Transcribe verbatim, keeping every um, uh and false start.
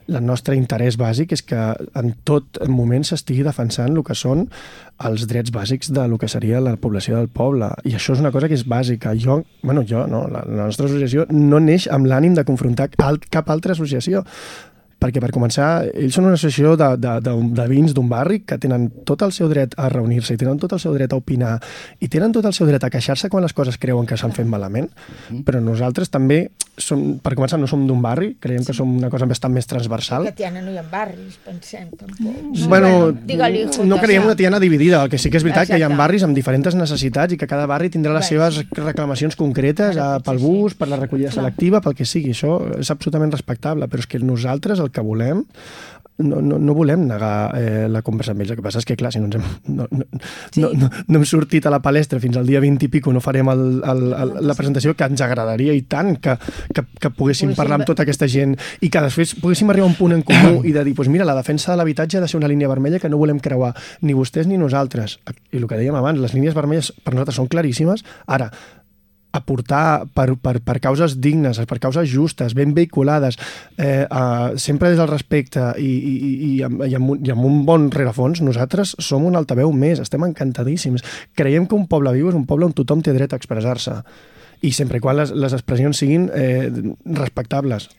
el nostre interès bàsic és que en tot moment s'estigui defensant el que són els drets bàsics de lo que seria la població del poble. I això és una cosa que és bàsica. Jo, bueno, jo, no, la, la nostra associació no neix amb l'ànim de confrontar cap altra associació. Perquè, per començar, ells són una associació de, de, de, de veïns d'un barri que tenen tot el seu dret a reunir-se i tenen tot el seu dret a opinar i tenen tot el seu dret a queixar-se quan les coses creuen que s'han fet malament. Però nosaltres també, som, per començar, no som d'un barri, creiem que som una cosa bastant més transversal. Que Tiana no hi ha barris, pensem, tampoc. Bueno, no creiem una Tiana dividida. El que sí que és veritat que hi ha barris amb diferents necessitats i que cada barri tindrà les seves reclamacions concretes pel bus, per la recollida selectiva, pel que sigui. Això és absolutament respectable, però és que nosaltres el que volem, no, no, no volem negar eh, la conversa amb ells. El que passa és que, clar, si no, ens hem, no, no, sí. no, no, no hem sortit a la palestra fins al dia vint i pico, no farem el, el, el, la presentació, que ens agradaria i tant que, que, que poguéssim parlar amb tota aquesta gent i que després poguéssim arribar a un punt en comú i de dir, doncs mira, la defensa de l'habitatge ha de ser una línia vermella que no volem creuar, ni vostès ni nosaltres. I el que dèiem abans, les línies vermelles per nosaltres són claríssimes. Ara, aportar per, per, per causes dignes, per causes justes, ben vehiculades, eh, eh, sempre des del respecte i, i, i, amb, i, amb un, i amb un bon rerefons, nosaltres som un altaveu més, estem encantadíssims. Creiem que un poble viu és un poble on tothom té dret a expressar-se i sempre i quan les, les expressions siguin eh, respectables.